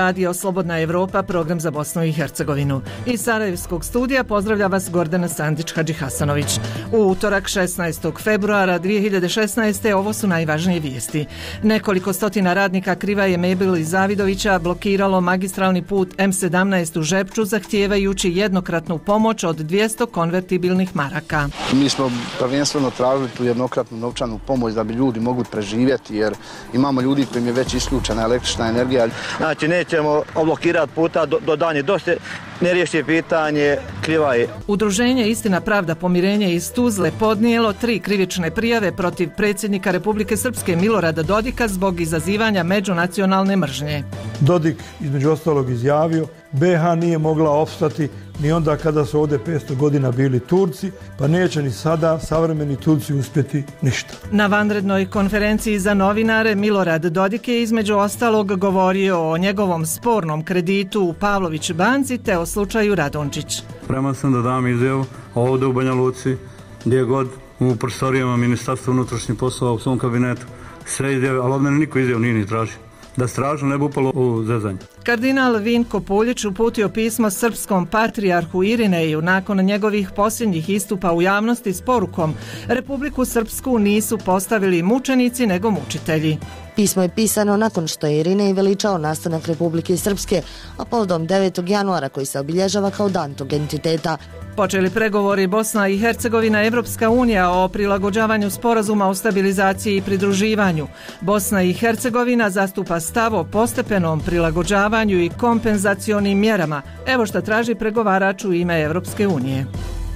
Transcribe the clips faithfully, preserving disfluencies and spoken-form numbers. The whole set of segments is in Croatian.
radio Slobodna Evropa, program za Bosnu i Hercegovinu. Iz Sarajevskog studija pozdravlja vas Gordana Sandić-Hadžihasanović. U utorak šesnaestog februara dvije hiljade šesnaeste. ovo su najvažnije vijesti. Nekoliko stotina radnika Krivaje, Mebel i Zavidovića blokiralo magistralni put em sedamnaest u Žepču zahtijevajući jednokratnu pomoć od dvjesto konvertibilnih maraka. Mi smo prvenstveno tražili tu jednokratnu novčanu pomoć da bi ljudi mogli preživjeti, jer imamo ljudi kojim je već isključena električna energija. Znači nećemo oblokirati puta do, do danje dosta ne riješi pitanje Krivaje. Udruženje Istina, pravda, pomirenje iz Tuzle podnijelo tri krivične prijave protiv predsjednika Republike Srpske Milorada Dodika zbog izazivanja međunacionalne mržnje. Dodik između ostalog izjavio be ha nije mogla opstati ni onda kada su ovdje petsto godina bili Turci, pa neće ni sada savremeni Turci uspjeti ništa. Na vanrednoj konferenciji za novinare Milorad Dodik je između ostalog govorio o njegovom spornom kreditu u Pavlović banci te o slučaju Radončić. Spreman sam da dam izjavu ovdje u Banja Luci, gdje god u prostorijama Ministarstva unutrašnjih poslova u svom kabinetu, sve izjave, ali od mene niko izjavu nije ni tražio. Da stražno ne bi upalo u zezanje. Kardinal Vinko Puljić uputio pismo srpskom patrijarhu Irineju nakon njegovih posljednjih istupa u javnosti s porukom: Republiku Srpsku nisu postavili mučenici nego mučitelji. Pismo je pisano nakon što je Irinej veličao nastanak Republike Srpske, a povodom devetog januara koji se obilježava kao dan tog entiteta. Počeli pregovori Bosna i Hercegovina Evropska unija o prilagođavanju sporazuma o stabilizaciji i pridruživanju. Bosna i Hercegovina zastupa stav o postepenom prilagođavanju i kompenzacionim mjerama. Evo što traži pregovarač u ime Evropske unije.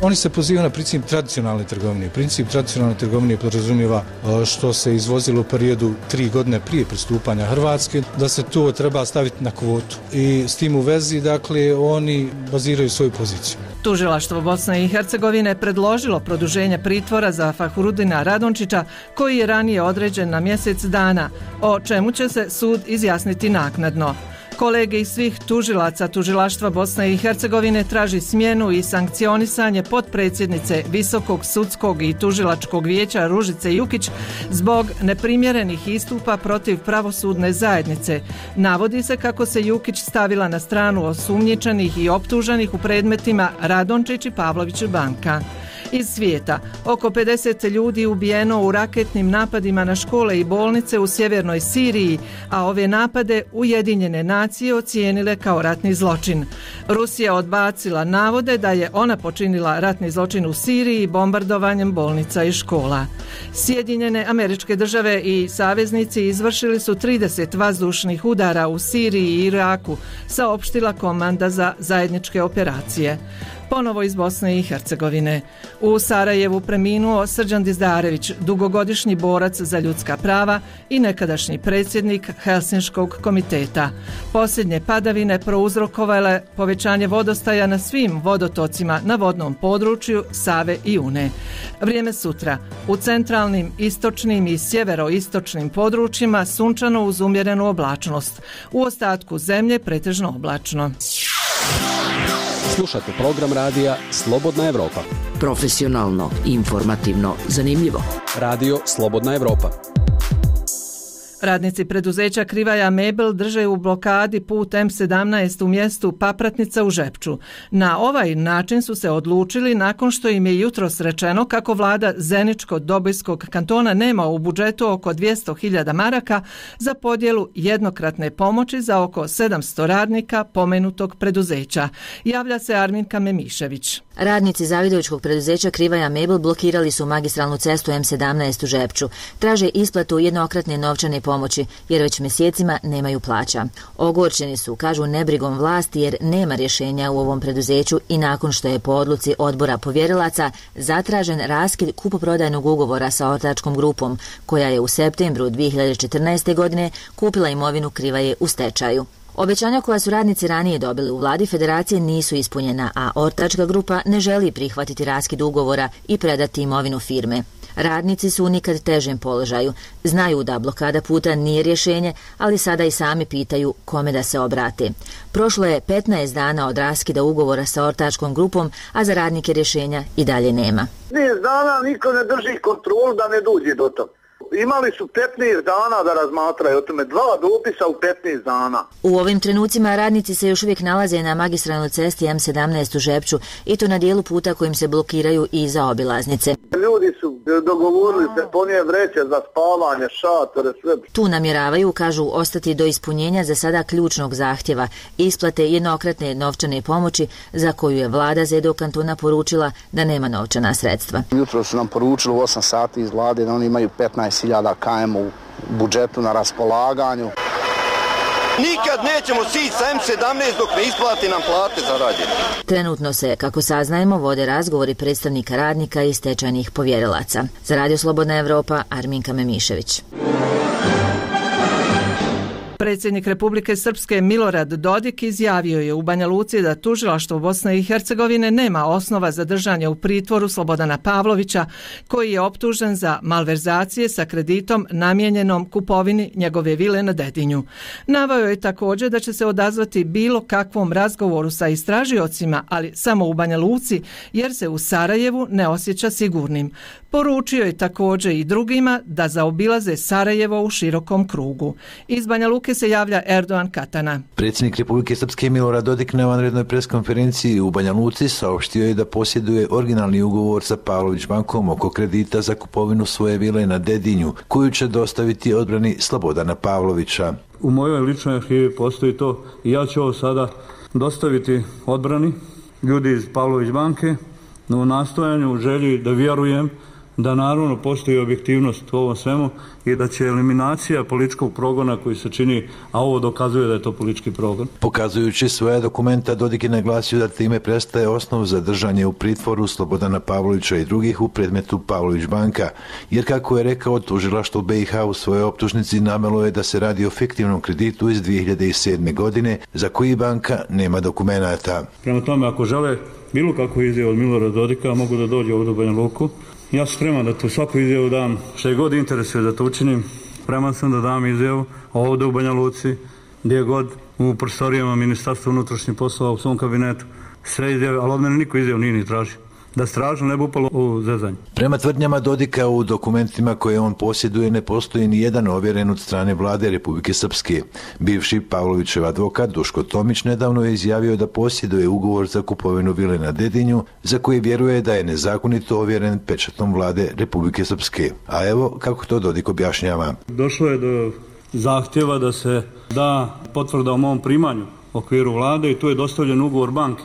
Oni se pozivaju na princip tradicionalne trgovine. Princip tradicionalne trgovine podrazumijeva što se izvozilo u periodu tri godine prije pristupanja Hrvatske, da se to treba staviti na kvotu. I s tim u vezi, dakle, oni baziraju svoju poziciju. Tužilaštvo Bosne i Hercegovine predložilo produženje pritvora za Fahurudina Radončića, koji je ranije određen na mjesec dana, o čemu će se sud izjasniti naknadno. Kolege iz svih tužilaca Tužilaštva Bosne i Hercegovine traži smjenu i sankcionisanje potpredsjednice Visokog sudskog i tužilačkog vijeća Ružice Jukić zbog neprimjerenih istupa protiv pravosudne zajednice. Navodi se kako se Jukić stavila na stranu osumnjičenih i optuženih u predmetima Radončić i Pavlović banka. Iz svijeta, oko pedeset ljudi ubijeno u raketnim napadima na škole i bolnice u sjevernoj Siriji, a ove napade Ujedinjene nacije ocijenile kao ratni zločin. Rusija odbacila navode da je ona počinila ratni zločin u Siriji bombardovanjem bolnica i škola. Sjedinjene Američke Države i saveznici izvršili su trideset vazdušnih udara u Siriji i Iraku, saopštila komanda za zajedničke operacije. Ponovo iz Bosne i Hercegovine. U Sarajevu preminuo Srđan Dizdarević, dugogodišnji borac za ljudska prava i nekadašnji predsjednik Helsinškog komiteta. Posljednje padavine prouzrokovale povećanje vodostaja na svim vodotocima na vodnom području Save i Une. Vrijeme sutra. U centralnim, istočnim i sjeveroistočnim područjima sunčano uz umjerenu oblačnost. U ostatku zemlje pretežno oblačno. Slušate program radija Slobodna Evropa. Profesionalno, informativno, zanimljivo. Radio Slobodna Evropa. Radnici preduzeća Krivaja Mebel drže u blokadi put em sedamnaest u mjestu Papratnica u Žepču. Na ovaj način su se odlučili nakon što im je jutros rečeno kako vlada Zeničko-Dobojskog kantona nema u budžetu oko dvjesto hiljada maraka za podjelu jednokratne pomoći za oko sedamsto radnika pomenutog preduzeća. Javlja se Arminka Memišević. Radnici Zavidovićkog preduzeća Krivaja Mebel blokirali su magistralnu cestu em sedamnaest u Žepču. Traže isplatu jednokratne novčane pomoći jer već mjesecima nemaju plaća. Ogorčeni su, kažu, nebrigom vlasti jer nema rješenja u ovom preduzeću i nakon što je po odluci odbora povjerilaca zatražen raskid kupoprodajnog ugovora sa ortačkom grupom koja je u septembru dvije hiljade četrnaeste. godine kupila imovinu Krivaje u stečaju. Obećanja koja su radnici ranije dobili u vladi federacije nisu ispunjena, a ortačka grupa ne želi prihvatiti raskid ugovora i predati imovinu firme. Radnici su u nikad težem položaju. Znaju da blokada puta nije rješenje, ali sada i sami pitaju kome da se obrate. Prošlo je petnaest dana od raskida ugovora sa ortačkom grupom, a za radnike rješenja i dalje nema. petnaest dana niko ne drži kontrolu da ne dođe do toga. Imali su petnaest dana da razmatraju o tome, dva dopisa u petnaest dana. U ovim trenucima radnici se još uvijek nalaze na magistralnoj cesti M sedamnaest u Žepču i to na dijelu puta kojim se blokiraju i zaobilaznice. Ljudi su dogovorili se ponije vreće za spavanje, šatore, sve. Tu namjeravaju, kažu, ostati do ispunjenja za sada ključnog zahtjeva isplate jednokratne novčane pomoći za koju je vlada Zedo kantona poručila da nema novčana sredstva. Jutro su nam poručili u osam sati iz vlade da oni imaju petnaest hiljada km u budžetu na raspolaganju. Nikad nećemo sići sa M sedamnaest dok ne isplati nam plate za rađenje. Trenutno se, kako saznajemo, vode razgovori predstavnika radnika i stečajnih povjerilaca. Za Radio Slobodna Evropa, Arminka Memišević. Predsjednik Republike Srpske Milorad Dodik izjavio je u Banja Luci da tužilaštvo Bosne i Hercegovine nema osnova za držanje u pritvoru Slobodana Pavlovića, koji je optužen za malverzacije sa kreditom namijenjenom kupovini njegove vile na Dedinju. Naveo je također da će se odazvati bilo kakvom razgovoru sa istražiocima, ali samo u Banja Luci, jer se u Sarajevu ne osjeća sigurnim. Poručio je također i drugima da zaobilaze Sarajevo u širokom krugu. Iz Banja Luke se javlja Erdogan Katana. Predsjednik Republike Srpske Milorad Dodik na vanrednoj preskonferenciji u Banja Luci saopštio je da posjeduje originalni ugovor sa Pavlović bankom oko kredita za kupovinu svoje vile na Dedinju, koju će dostaviti odbrani Slobodana Pavlovića. U mojoj ličnoj arhivi postoji to i ja ću ovo sada dostaviti odbrani ljudi iz Pavlović banke u nastojanju, u želji da vjerujem da naravno postoji objektivnost u ovom svemu i da će eliminacija političkog progona koji se čini, a ovo dokazuje da je to politički progon. Pokazujući svoje dokumenta, Dodik je naglasio da time prestaje osnov za držanje u pritvoru Slobodana Pavlovića i drugih u predmetu Pavlović banka, jer kako je rekao, tužilaštvo B i H u svojoj optužnici navelo je da se radi o fiktivnom kreditu iz dvije hiljade sedme. godine, za koji banka nema dokumenata. Prema tome, ako žele bilo kakvu izjavu od Milorada Dodika, mogu da dođe ovdje u Banja Luku. Ja sam spreman da tu svaku izjavu dam, što je god interesuje da to učinim. Spreman sam da dam izjavu ovdje u Banja Luci, gdje god u prostorijama Ministarstva unutrašnjih poslova u svom kabinetu. Sve izjave, ali od mene niko izjavu nije ni traži. Da stražno ne bi upalo u zezanje. Prema tvrdnjama Dodika, u dokumentima koje on posjeduje ne postoji ni jedan ovjeren od strane vlade Republike Srpske. Bivši Pavlovićev advokat Duško Tomić nedavno je izjavio da posjeduje ugovor za kupovinu vile na Dedinju, za koji vjeruje da je nezakonito ovjeren pečatom vlade Republike Srpske. A evo kako to Dodik objašnjava. Došlo je do zahtjeva da se da potvrda o mom primanju u okviru vlade i tu je dostavljen ugovor banke.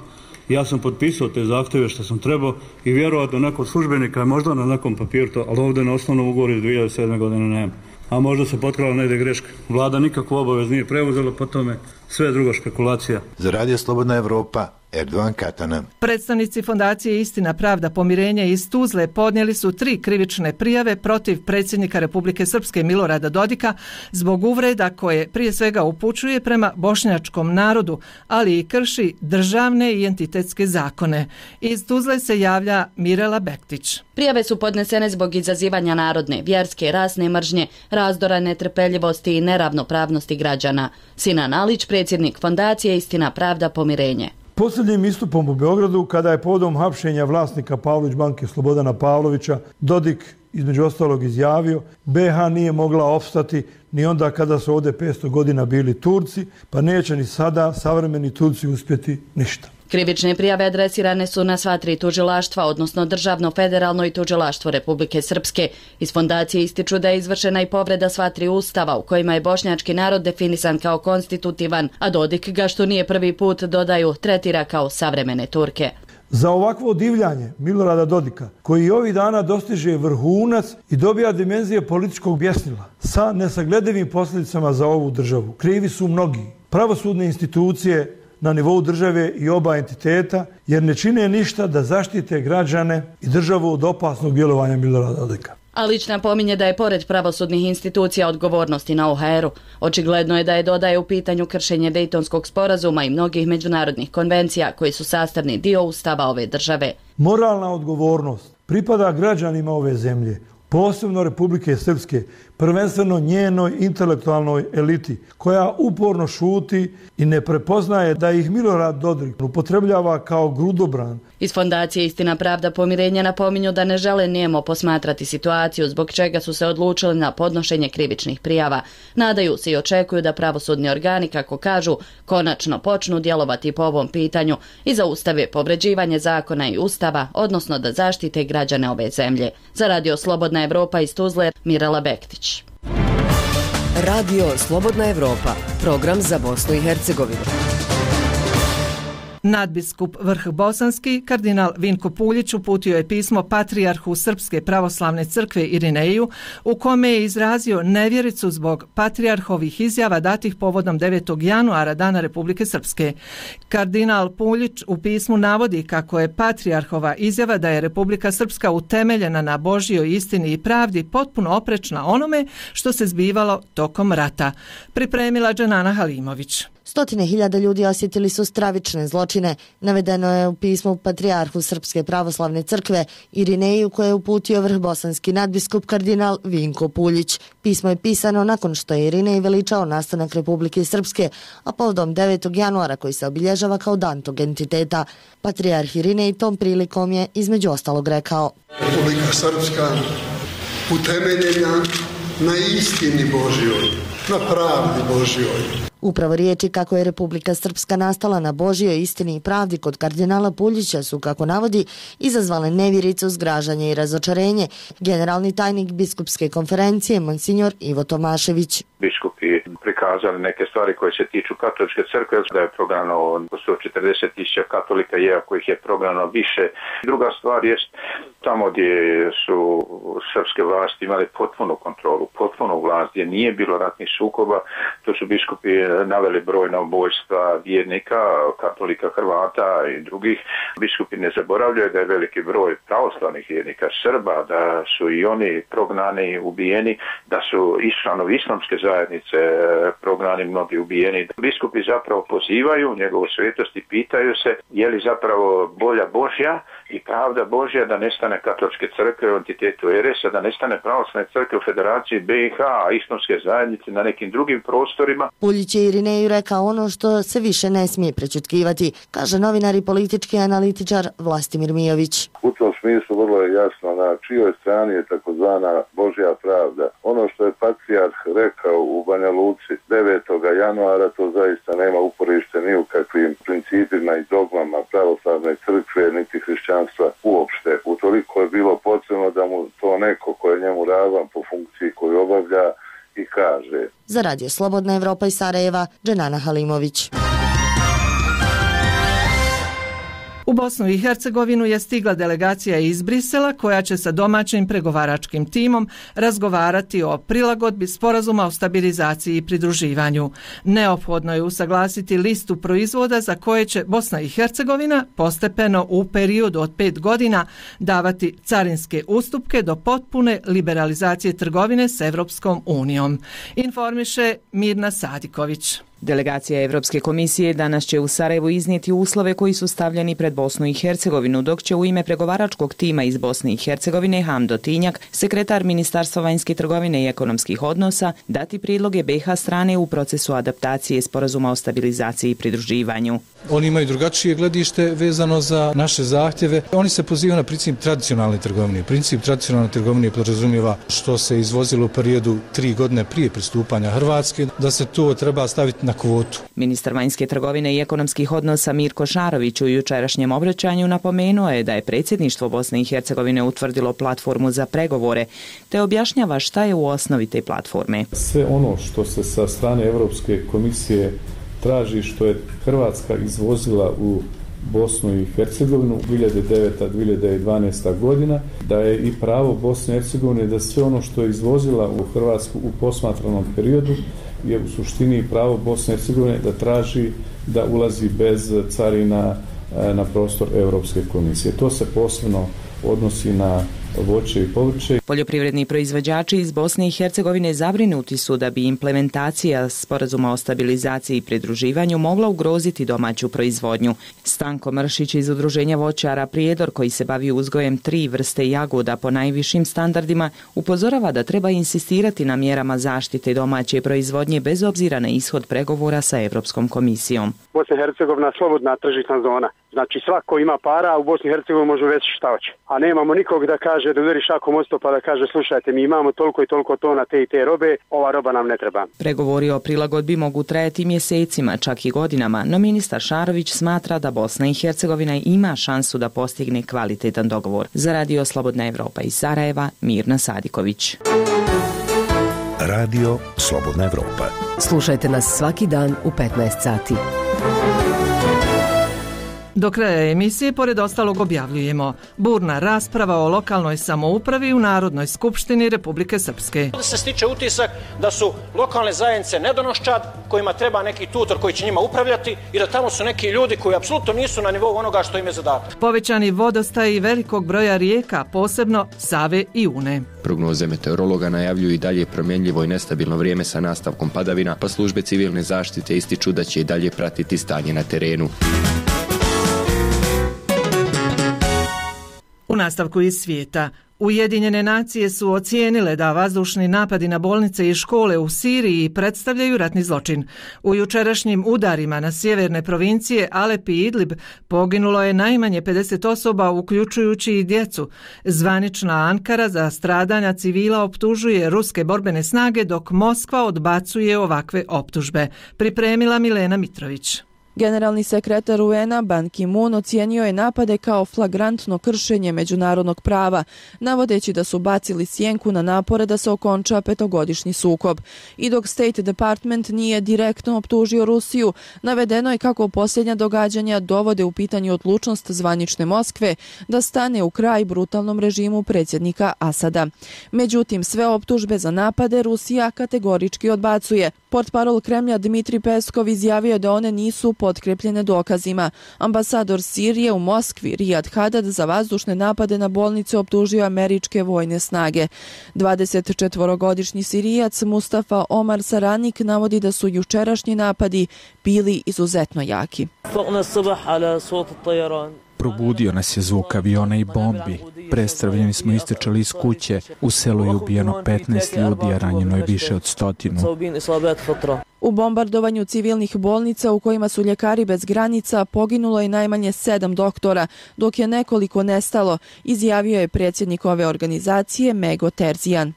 Ja sam potpisao te zahtjeve što sam trebao i vjerovatno nekog službenika je možda na nekom papiru to, ali ovdje na osnovnom ugovoru iz dvije hiljade sedme. godine nema. A možda se potkrala negdje greška. Vlada nikakvu obavez nije preuzela, po tome sve je druga špekulacija. Za Radio Slobodna Evropa, Erdogan Katana. Predstavnici Fondacije Istina, pravda, pomirenje iz Tuzle podnijeli su tri krivične prijave protiv predsjednika Republike Srpske Milorada Dodika zbog uvreda koje prije svega upućuje prema bošnjačkom narodu, ali i krši državne i entitetske zakone. Iz Tuzle se javlja Mirela Bektić. Prijave su podnesene zbog izazivanja narodne, vjerske i rasne mržnje, razdora, netrpeljivosti i neravnopravnosti građana. Sinan Alić, predsjednik Fondacije Istina, pravda, pomirenje. Posljednjim istupom u Beogradu, kada je povodom hapšenja vlasnika Pavlović banke Slobodana Pavlovića, Dodik između ostalog izjavio, B H nije mogla opstati ni onda kada su ovdje petsto godina bili Turci, pa neće ni sada savremeni Turci uspjeti ništa. Krivične prijave adresirane su na sva tri tužilaštva, odnosno Državno federalno i tužilaštvo Republike Srpske. Iz fondacije ističu da je izvršena i povreda sva tri ustava u kojima je bošnjački narod definisan kao konstitutivan, a Dodik ga, što nije prvi put, dodaju, tretira kao savremene Turke. Za ovakvo divljanje Milorada Dodika, koji ovih dana dostiže vrhunac i dobija dimenzije političkog bjesnila sa nesagledivim posljedicama za ovu državu, krivi su mnogi. Pravosudne institucije na nivou države i oba entiteta, jer ne čine ništa da zaštite građane i državu od opasnog djelovanja Milorada Dodika. Alić napominje da je pored pravosudnih institucija odgovornosti na O H R-u. Očigledno je da je dodaje u pitanju kršenje Dejtonskog sporazuma i mnogih međunarodnih konvencija koji su sastavni dio ustava ove države. Moralna odgovornost pripada građanima ove zemlje, posebno Republike Srpske, prvenstveno njenoj intelektualnoj eliti, koja uporno šuti i ne prepoznaje da ih Milorad Dodik upotrebljava kao grudobran. Iz Fondacije Istina, pravda, pomirenje napominju da ne žele nijemo posmatrati situaciju, zbog čega su se odlučili na podnošenje krivičnih prijava. Nadaju se i očekuju da pravosudni organi, kako kažu, konačno počnu djelovati po ovom pitanju i zaustave povređivanje zakona i ustava, odnosno da zaštite građane ove zemlje. Za Radio Slobodna Evropa iz Tuzle, Mirela Bektić. Radio Slobodna Evropa, program za Bosnu i Hercegovinu. Nadbiskup Vrh Bosanski, kardinal Vinko Puljić, uputio je pismo patrijarhu Srpske pravoslavne crkve Irineju, u kome je izrazio nevjericu zbog patrijarhovih izjava datih povodom devetog januara, Dana Republike Srpske. Kardinal Puljić u pismu navodi kako je patrijarhova izjava da je Republika Srpska utemeljena na Božjoj istini i pravdi potpuno oprečna onome što se zbivalo tokom rata. Pripremila Dženana Halimović. Stotine hiljada ljudi osjetili su stravične zločine. Navedeno je u pismu patrijarhu Srpske pravoslavne crkve Irineju, koje je uputio vrh bosanski nadbiskup kardinal Vinko Puljić. Pismo je pisano nakon što je Irinej veličao nastanak Republike Srpske, a povodom devetog januara koji se obilježava kao dan tog entiteta. Patrijarh Irinej tom prilikom je između ostalog rekao: Republika Srpska utemeljena na istini Božjoj, na pravdi Božjoj. Upravo riječi kako je Republika Srpska nastala na Božjoj istini i pravdi kod kardinala Puljića su, kako navodi, izazvale nevjericu, zgražanje i razočarenje. Generalni tajnik biskupske konferencije, monsignor Ivo Tomašević. Biskupi prikazali neke stvari koje se tiču katoličke crkve, da je prognano sto četrdeset tisuća katolika, iako ih je prognano više. Druga stvar je tamo gdje su srpske vlasti imali potpunu kontrolu, potpunu vlast, gdje nije bilo ratnih sukoba, to su biskupi naveli brojna ubojstva vjernika, katolika, Hrvata i drugih. Biskupi ne zaboravljaju da je veliki broj pravoslavnih vjernika Srba, da su i oni prognani, ubijeni, da su i članovi islamske zajednice prognani, mnogi ubijeni. Biskupi zapravo pozivaju njegovu svetost i pitaju se je li zapravo volja Božja i pravda Božja da nestane katoličke crkve u entitetu er es a, da nestane pravoslavne crkve u Federaciji be i ha, a islamske zajednice na nekim drugim prostorima. Puljić je Irineju rekao ono što se više ne smije prečutkivati, kaže novinar i politički analitičar Vlastimir Mijović. U tom smislu vrlo je jasno na čijoj strani je takozvana Božja pravda. Ono što je patrijarh rekao u Banja Luci devetog januara, to zaista nema uporište ni u kakvim principima i dogmama pravoslavne crkve niti hrišćanstva uopšte. Utoliko je bilo potrebno da mu to neko ko je njemu ravan po funkciji koju obavlja i kaže. Za Radio Slobodna Evropa iz Sarajeva, Dženana Halimović. U Bosnu i Hercegovinu je stigla delegacija iz Brisela koja će sa domaćim pregovaračkim timom razgovarati o prilagodbi sporazuma o stabilizaciji i pridruživanju. Neophodno je usaglasiti listu proizvoda za koje će Bosna i Hercegovina postepeno u periodu od pet godina davati carinske ustupke do potpune liberalizacije trgovine s Evropskom unijom. Informiše Mirna Sadiković. Delegacija Evropske komisije danas će u Sarajevu iznijeti uslove koji su stavljeni pred Bosnu i Hercegovinu, dok će u ime pregovaračkog tima iz Bosne i Hercegovine Hamdo Tinjak, sekretar Ministarstva vanjske trgovine i ekonomskih odnosa, dati prijedloge be i ha strane u procesu adaptacije sporazuma o stabilizaciji i pridruživanju. Oni imaju drugačije gledište vezano za naše zahtjeve. Oni se pozivaju na princip tradicionalne trgovine. Princip tradicionalne trgovine podrazumijeva što se izvozilo u periodu tri godine prije pristupanja Hrvatske, da se to treba staviti na kvotu. Ministar vanjske trgovine i ekonomskih odnosa Mirko Šarović u jučerašnjem obraćanju napomenuo je da je predsjedništvo Bosne i Hercegovine utvrdilo platformu za pregovore, te objašnjava šta je u osnovi te platforme. Sve ono što se sa strane Europske komisije traži, što je Hrvatska izvozila u Bosnu i Hercegovinu dvije hiljade deveta do dvije hiljade dvanaesta godina, da je i pravo Bosne i Hercegovine da sve ono što je izvozila u Hrvatsku u posmatranom periodu je u suštini pravo Bosne i Hercegovine da traži da ulazi bez carina na prostor Europske komisije. To se posebno odnosi na voće i povrće. Poljoprivredni proizvođači iz Bosne i Hercegovine zabrinuti su da bi implementacija sporazuma o stabilizaciji i pridruživanju mogla ugroziti domaću proizvodnju. Stanko Mršić iz Udruženja voćara Prijedor, koji se bavi uzgojem tri vrste jagoda po najvišim standardima, upozorava da treba insistirati na mjerama zaštite domaće proizvodnje bez obzira na ishod pregovora sa Europskom komisijom. Bosna i Hercegovina slobodna tržišna zona. Znači svako ima para, u Bosni i Hercegovini može već šta hoće. A nemamo nikog da kaže, da udari šakom o sto pa da kaže slušajte, mi imamo toliko i toliko tona te i te robe, ova roba nam ne treba. Pregovori o prilagodbi mogu trajati mjesecima, čak i godinama, no ministar Šarović smatra da Bosna i Hercegovina ima šansu da postigne kvalitetan dogovor. Za Radio Slobodna Evropa iz Sarajeva, Mirna Sadiković. Radio Slobodna Evropa. Slušajte nas svaki dan u petnaest sati. Do kraja emisije, pored ostalog, objavljujemo burna rasprava o lokalnoj samoupravi u Narodnoj skupštini Republike Srpske. Ovdje se stiče utisak da su lokalne zajednice nedonoščad, kojima treba neki tutor koji će njima upravljati i da tamo su neki ljudi koji apsolutno nisu na nivou onoga što im je zadatak. Povećani vodostaj i velikog broja rijeka, posebno Save i Une. Prognoze meteorologa najavljuju i dalje promjenljivo i nestabilno vrijeme sa nastavkom padavina, pa službe civilne zaštite ističu da će i dalje pratiti stanje na terenu. U nastavku iz svijeta, Ujedinjene nacije su ocijenile da vazdušni napadi na bolnice i škole u Siriji predstavljaju ratni zločin. U jučerašnjim udarima na sjeverne provincije Alep i Idlib poginulo je najmanje pedeset osoba, uključujući i djecu. Zvanična Ankara za stradanja civila optužuje ruske borbene snage, dok Moskva odbacuje ovakve optužbe. Pripremila Milena Mitrović. Generalni sekretar U N-a Ban Ki-moon ocijenio je napade kao flagrantno kršenje međunarodnog prava, navodeći da su bacili sjenku na napore da se okonča petogodišnji sukob. I dok State Department nije direktno optužio Rusiju, navedeno je kako posljednja događanja dovode u pitanje odlučnost zvanične Moskve da stane u kraj brutalnom režimu predsjednika Asada. Međutim, sve optužbe za napade Rusija kategorički odbacuje. Portparol Kremlja Dmitri Peskov izjavio da one nisu potkrepljene dokazima. Ambasador Sirije u Moskvi Riyad Hadad za vazdušne napade na bolnice optužio američke vojne snage. dvadesetčetvorogodišnji Sirijac Mustafa Omar Saranik navodi da su jučerašnji napadi bili izuzetno jaki. Probudio nas je zvuk aviona i bombi. Prestravljeni smo istrčali iz kuće. U selu je ubijeno petnaest ljudi, a ranjeno je više od stotinu. U bombardovanju civilnih bolnica u kojima su ljekari bez granica poginulo je najmanje sedam doktora, dok je nekoliko nestalo, izjavio je predsjednik ove organizacije Mego Terzijan.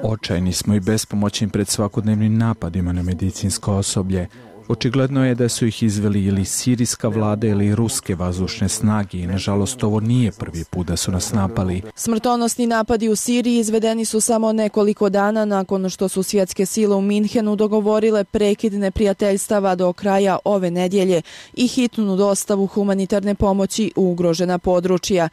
Očajni smo i bespomoćni pred svakodnevnim napadima na medicinsko osoblje. Očigledno je da su ih izveli ili sirijska vlada ili ruske vazdušne snage i nažalost ovo nije prvi put da su nas napali. Smrtonosni napadi u Siriji izvedeni su samo nekoliko dana nakon što su svjetske sile u Minhenu dogovorile prekid neprijateljstava do kraja ove nedjelje i hitnu dostavu humanitarne pomoći u ugrožena područja.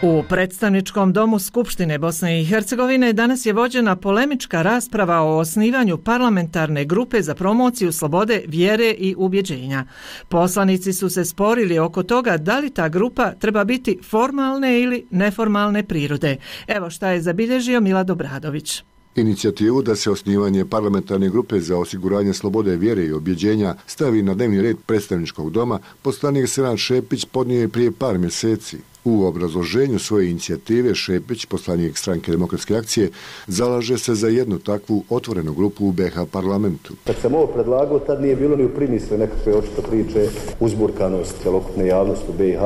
U predstavničkom domu Skupštine Bosne i Hercegovine danas je vođena polemička rasprava o osnivanju parlamentarne grupe za promociju slobode vjere i ubjeđenja. Poslanici su se sporili oko toga da li ta grupa treba biti formalne ili neformalne prirode. Evo šta je zabilježio Milad Obradović. Inicijativu da se osnivanje parlamentarne grupe za osiguranje slobode vjere i objeđenja stavi na dnevni red predstavničkog doma poslanik Senad Šepić podnio je prije par mjeseci. U obrazloženju svoje inicijative Šepić, poslanik Stranke demokratske akcije, zalaže se za jednu takvu otvorenu grupu u B iH parlamentu. Kad sam ovo predlagao, tad nije bilo ni u primisli nekakve očito priče uzburkanost celokupne javnosti u B iH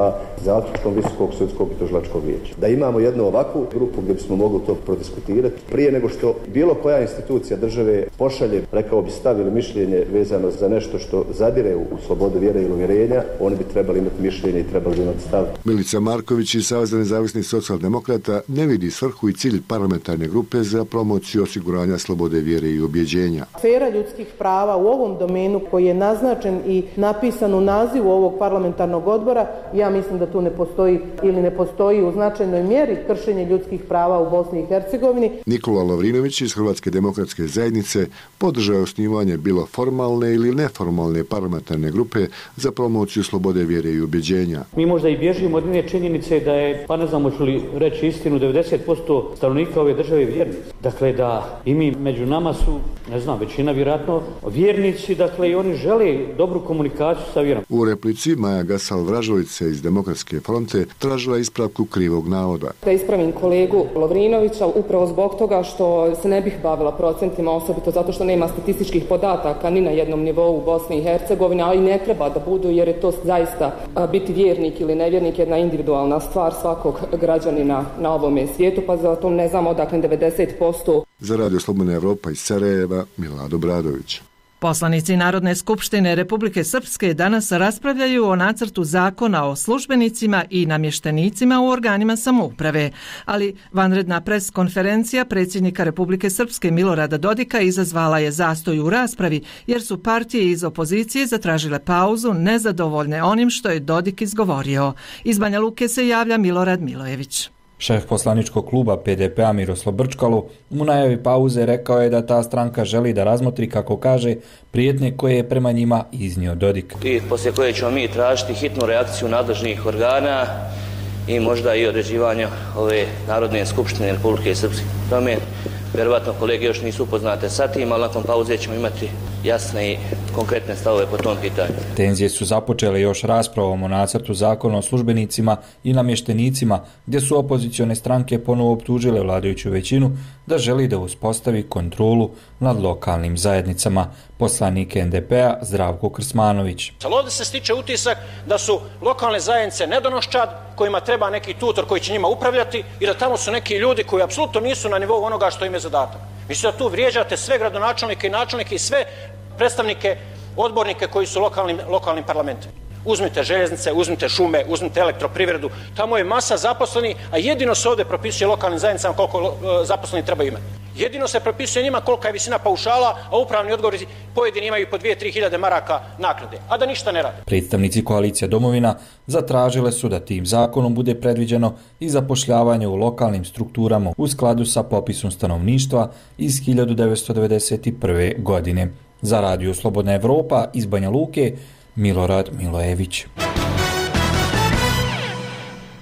zaključkom Visokog sudskog i tužilačkog vijeća. Da imamo jednu ovakvu grupu gdje bismo mogli to prodiskutirati prije nego što bilo koja institucija države pošalje, rekao bi, stav ili mišljenje vezano za nešto što zadire u slobodu vjere ili uvjerenja, oni bi trebali imati mišljenje i trebali imati stav. Milica Marković Marković iz Saveza nezavisnih socijaldemokrata ne vidi svrhu i cilj parlamentarne grupe za promociju osiguranja slobode vjere i ubjeđenja. Sfera ljudskih prava u ovom domenu koji je naznačen i napisan u nazivu ovog parlamentarnog odbora, ja mislim da tu ne postoji ili ne postoji u značajnoj mjeri kršenje ljudskih prava u Bosni i Hercegovini. Nikola Lovrinović iz Hrvatske demokratske zajednice podržao je osnivanje bilo formalne ili neformalne parlamentarne grupe za promociju slobode vjere i ubjeđenja. Mi možda i bježimo od jedne činjenice da je, pa ne znam hoću li reći istinu, devedeset posto stanovnika ove države vjernici. Dakle, da i mi među nama su, ne znam, većina vjerojatno vjernici, dakle i oni žele dobru komunikaciju sa vjerom. U replici Maja Gasal-Vražovica iz Demokratske fronte tražila ispravku krivog navoda. Da ispravim kolegu Lovrinovića upravo zbog toga što se ne bih bavila procentima, osobito zato što nema statističkih podataka ni na jednom nivou u Bosni i Hercegovini, a i ne treba da budu jer je to zaista biti vjernik ili nevjernik jedna individualna stvar svakog građanina na ovome svijetu, pa zato ne znam odakle devedeset posto. Za Radio Slobodna Evropa iz Sarajeva, Milado Bradović. Poslanici Narodne skupštine Republike Srpske danas raspravljaju o nacrtu zakona o službenicima i namještenicima u organima samouprave, ali vanredna pres konferencija predsjednika Republike Srpske Milorada Dodika izazvala je zastoj u raspravi jer su partije iz opozicije zatražile pauzu nezadovoljne onim što je Dodik izgovorio. Iz Banja Luke se javlja Milorad Milojević. Šef poslaničkog kluba P D P-a Miroslav Brčkalu u najavi pauze rekao je da ta stranka želi da razmotri, kako kaže, prijetnje koje je prema njima iznio Dodik. I poslije koje ćemo mi tražiti hitnu reakciju nadležnih organa i možda i određivanja ove Narodne skupštine Republike Srpske. Tome, vjerovatno kolege još nisu upoznate sa tim, ali nakon pauze ćemo imati jasne i konkretne stavove po tom pitanju. Tenzije su započele još raspravom o nacrtu zakona o službenicima i namještenicima, gdje su opozicione stranke ponovo optužile vladajuću većinu da želi da uspostavi kontrolu nad lokalnim zajednicama. Poslanik N D P-a Zdravko Krsmanović. Ovdje se stiče utisak da su lokalne zajednice nedonoščad kojima treba neki tutor koji će njima upravljati i da tamo su neki ljudi koji apsolutno nisu na nivou onoga što im je zadatak. Mislim da tu vrijeđate sve gradonačelnike i načelnike i sve predstavnike, odbornike koji su lokalnim, lokalnim parlamentima. Uzmite željeznice, uzmite šume, uzmite elektroprivredu, tamo je masa zaposleni, a jedino se ovdje propisuje lokalnim zajednicama koliko zaposleni treba imati. Jedino se propisuje njima kolika je visina paušala, a upravni odgovori pojedini imaju po dvije do tri hiljade maraka naknade, a da ništa ne rade. Predstavnici koalicije Domovina zatražile su da tim zakonom bude predviđeno i zapošljavanje u lokalnim strukturama u skladu sa popisom stanovništva iz hiljadu devetsto devedeset prve. godine. Za Radio Slobodna Evropa iz Banja Luke, Milorad Milojević.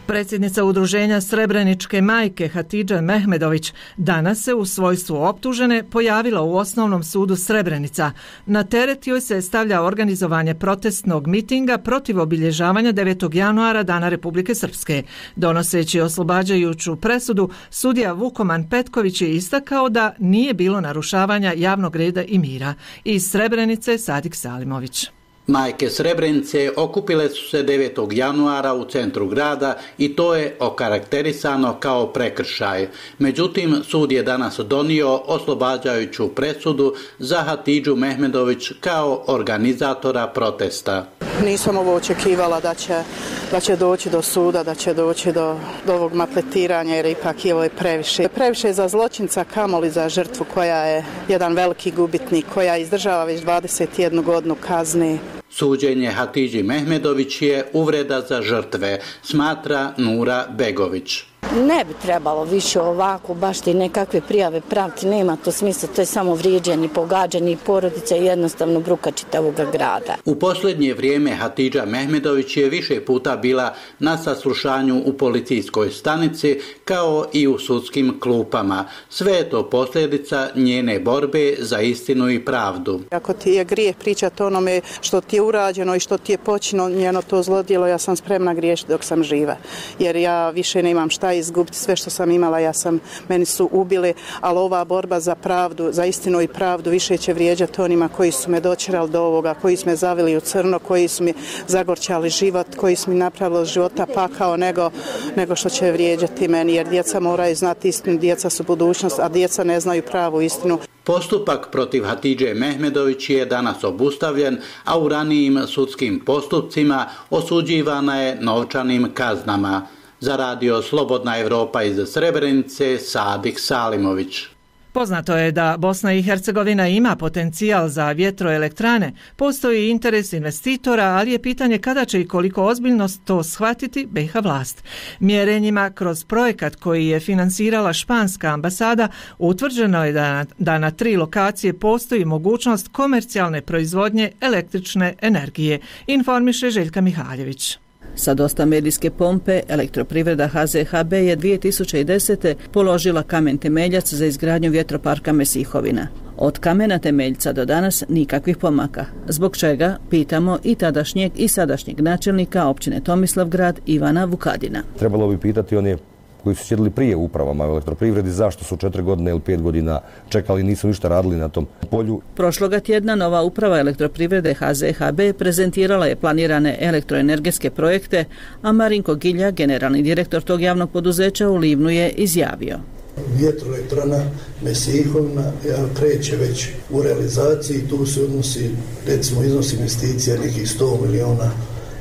Predsjednica udruženja Srebreničke majke Hatidža Mehmedović danas se u svojstvu optužene pojavila u Osnovnom sudu Srebrenica. Na teret joj se stavlja organizovanje protestnog mitinga protiv obilježavanja devetog januara Dana Republike Srpske. Donoseći oslobađajuću presudu, sudija Vukoman Petković je istakao da nije bilo narušavanja javnog reda i mira. Iz Srebrenice Sadik Salimović. Majke Srebrenice okupile su se devetog januara u centru grada i to je okarakterisano kao prekršaj. Međutim, sud je danas donio oslobađajuću presudu za Hatidžu Mehmedović kao organizatora protesta. Nisam ovo očekivala da će, da će doći do suda, da će doći do, do ovog maltretiranja jer ipak je ovo previše. Previše za zločinca, kamoli za žrtvu koja je jedan veliki gubitnik, koja izdržava već dvadeset jednu godinu kazni. Suđenje Hatidži Mehmedović je uvreda za žrtve, smatra Nura Begović. Ne bi trebalo više ovako, baš ti nekakve prijave praviti, nema to smisla, to je samo vrijeđanje, pogađanje porodice i jednostavno bruka čitavog grada. U posljednje vrijeme Hatidža Mehmedović je više puta bila na saslušanju u policijskoj stanici kao i u sudskim klupama. Sve je to posljedica njene borbe za istinu i pravdu. Ako ti je grijeh pričati onome što ti je urađeno i što ti je počinjeno to zlodjelo, ja sam spremna griješiti dok sam živa, jer ja više nemam šta izgubiti, sve što sam imala, ja sam, meni su ubili, ali ova borba za pravdu, za istinu i pravdu više će vrijeđati onima koji su me dočerali do ovoga, koji su me zavili u crno, koji su mi zagorčali život, koji su mi napravili od života pakao nego, nego što će vrijeđati meni, jer djeca moraju znati istinu, djeca su budućnost, a djeca ne znaju pravu istinu. Postupak protiv Hatidže Mehmedović je danas obustavljen, a u ranijim sudskim postupcima osuđivana je novčanim kaznama. Za radio Slobodna Evropa iz Srebrenice, Sadik Salimović. Poznato je da Bosna i Hercegovina ima potencijal za vjetroelektrane, postoji interes investitora, ali je pitanje kada će i koliko ozbiljno to shvatiti B i H vlast. Mjerenjima kroz projekat koji je finansirala španska ambasada utvrđeno je da na, da na tri lokacije postoji mogućnost komercijalne proizvodnje električne energije, informiše Željka Mihaljević. Sa dosta medijske pompe, Elektroprivreda H Z H B je dvije tisuće desete. položila kamen temeljac za izgradnju vjetroparka Mesihovina. Od kamena temeljca do danas nikakvih pomaka, zbog čega pitamo i tadašnjeg i sadašnjeg načelnika općine Tomislavgrad Ivana Vukadina. Trebalo bi pitati one koji su sjedili prije u upravama u Elektroprivredi zašto su četiri godine ili pet godina čekali i nisu ništa radili na tom polju. Prošloga tjedna nova uprava Elektroprivrede H Z H B prezentirala je planirane elektroenergetske projekte, a Marinko Gilja, generalni direktor tog javnog poduzeća, u Livnu je izjavio. Vjetroelektrana Mesihovina kreće već u realizaciji, tu se odnosi recimo iznos investicija nekih sto milijuna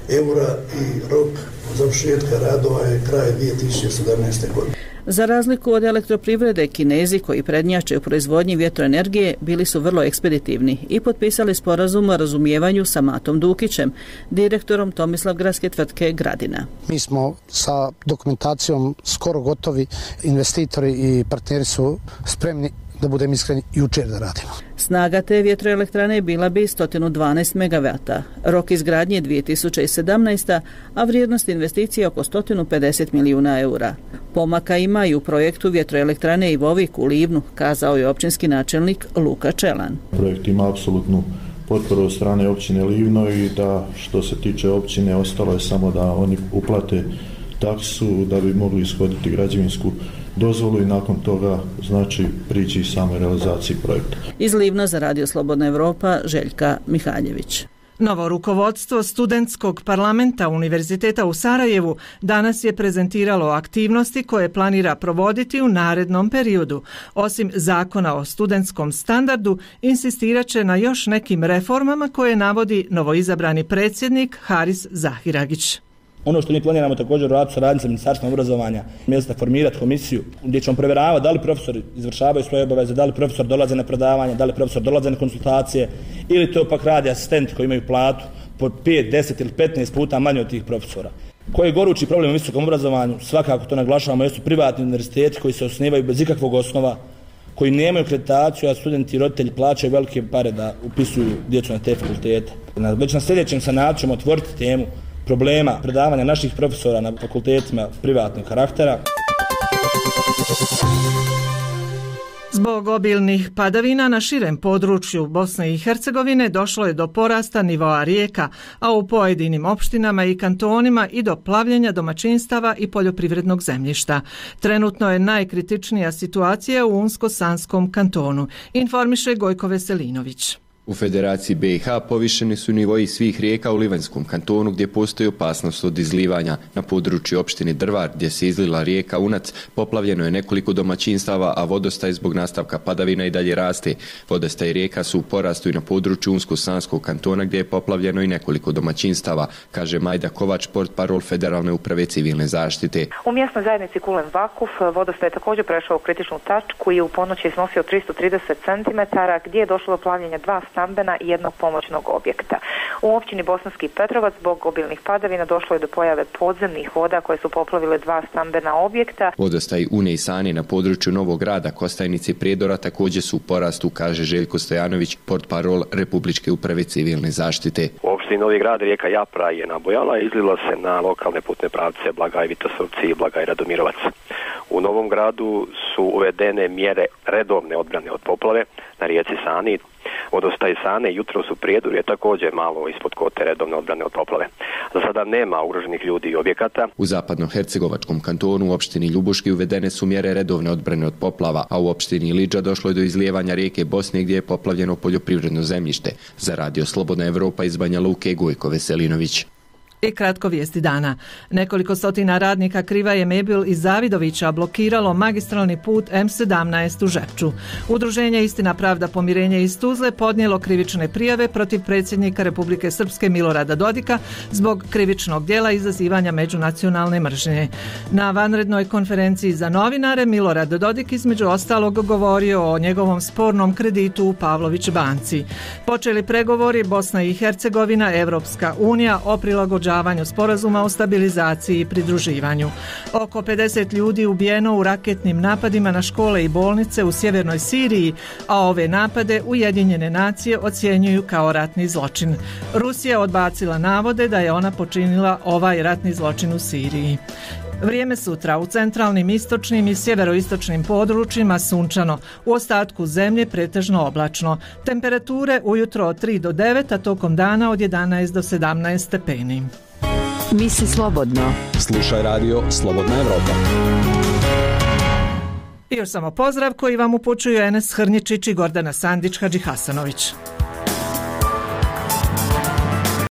eura i rok završetka radova je kraj dvije tisuće sedamnaeste. godine. Za razliku od Elektroprivrede, Kinezi koji prednjače u proizvodnji vjetroenergije bili su vrlo ekspeditivni i potpisali sporazum o razumijevanju sa Matom Dukićem, direktorom Tomislavgradske tvrtke Gradina. Mi smo sa dokumentacijom skoro gotovi, investitori i partneri su spremni, da budem iskren, jučer da radimo. Snaga te vjetroelektrane bila bi sto dvanaest megavata, rok izgradnje dvije tisuće sedamnaesta. a vrijednost investicije oko sto pedeset milijuna eura. Pomaka ima i u projektu vjetroelektrane Ivovik u Livnu, kazao je općinski načelnik Luka Čelan. Projekt ima apsolutnu potporu od strane općine Livno i da što se tiče općine ostalo je samo da oni uplate taksu da bi mogli ishoditi građevinsku dozvolu i nakon toga znači prići samoj realizaciji projekta. Iz Livna za Radio Slobodna Evropa, Željka Mihaljević. Novo rukovodstvo studentskog parlamenta Univerziteta u Sarajevu danas je prezentiralo aktivnosti koje planira provoditi u narednom periodu. Osim zakona o studentskom standardu, insistirat će na još nekim reformama koje navodi novoizabrani predsjednik Haris Zahiragić. Ono što mi planiramo također raditi sa radnicama Ministarstvom obrazovanja, mjesta formirati komisiju gdje ćemo provjeravati da li profesori izvršavaju svoje obaveze, da li profesor dolaze na predavanja, da li profesor dolaze na konsultacije ili to pak radi asistenti koji imaju platu po pet, deset ili petnaest puta manje od tih profesora. Koji je gorući problem u visokom obrazovanju, svakako to naglašavamo, jesu privatni univerziteti koji se osnivaju bez ikakvog osnova, koji nemaju akreditaciju, a studenti i roditelji plaćaju velike pare da upisuju djecu na te fakultete. Već na sljedećem sanatu ćemo otvoriti temu problema predavanja naših profesora na fakultetima privatnog karaktera. Zbog obilnih padavina na širem području Bosne i Hercegovine došlo je do porasta nivoa rijeka, a u pojedinim opštinama i kantonima i do plavljenja domaćinstava i poljoprivrednog zemljišta. Trenutno je najkritičnija situacija u Unsko-Sanskom kantonu, informiše Gojko Veselinović. U Federaciji B i H povišeni su nivoji svih rijeka u Livanjskom kantonu gdje postoji opasnost od izlivanja. Na području opštine Drvar gdje se izlila rijeka Unac poplavljeno je nekoliko domaćinstava, a vodostaj zbog nastavka padavina i dalje raste. Vodostaj rijeka su u porastu i na području Unsko-Sanskog kantona gdje je poplavljeno i nekoliko domaćinstava, kaže Majda Kovač, portparol Federalne uprave civilne zaštite. U mjesnoj zajednici Kulen Vakuf vodostaj je također prešao u kritičnu tačku i u ponoći iznosio tristo trideset centimetara gdje je došlo do plavljenja dva stambena i jednog pomoćnog objekta. U općini Bosanski Petrovac zbog obilnih padavina došlo je do pojave podzemnih voda koje su poplavile dva stambena objekta. Vodostaj Une i Sane na području Novog Grada, Kostajnice i Prijedora također su u porastu, kaže Željko Stojanović, portparol Republičke uprave civilne zaštite. U opštini Novi Grad rijeka Japra je nabojala i izlila se na lokalne putne pravce Blagaj Vitosovci i Blagaj Radomirovac. U Novom Gradu su uvedene mjere redovne odbrane od poplave na rijeci Sani. Vodostaj Sane jutros u Prijedoru je također malo ispod kote redovne odbrane od poplave. Za sada nema ugroženih ljudi i objekata. U zapadno-hercegovačkom kantonu u opštini Ljubuški uvedene su mjere redovne odbrane od poplava, a u opštini Iliđa došlo je do izlijevanja rijeke Bosne gdje je poplavljeno poljoprivredno zemljište. Za Radio Slobodna Evropa iz Banja Luke, Gojko Veselinović. I kratko vijesti dana. Nekoliko stotina radnika Krivaje Mebil iz Zavidovića blokiralo magistralni put M sedamnaest u Žepču. Udruženje Istina, pravda, pomirenje iz Tuzle podnijelo krivične prijave protiv predsjednika Republike Srpske Milorada Dodika zbog krivičnog djela izazivanja međunacionalne mržnje. Na vanrednoj konferenciji za novinare Milorad Dodik između ostalog govorio o njegovom spornom kreditu u Pavlović banci. Počeli pregovori Bosna i Hercegovina, Evropska unija o prilagođavanju sporazuma o stabilizaciji i pridruživanju. Oko pedeset ljudi ubijeno u raketnim napadima na škole i bolnice u sjevernoj Siriji, a ove napade Ujedinjene nacije ocjenjuju kao ratni zločin. Rusija odbacila navode da je ona počinila ovaj ratni zločin u Siriji. Vrijeme sutra u centralnim, istočnim i sjeveroistočnim područjima sunčano, u ostatku zemlje pretežno oblačno. Temperature ujutro od tri do devet, a tokom dana od jedanaest do sedamnaest stepeni. Misli slobodno. Slušaj radio Slobodna Evropa. I još samo pozdrav koji vam upućuju Enes Hrnjičić i Gordana Sandić Hadžihasanović.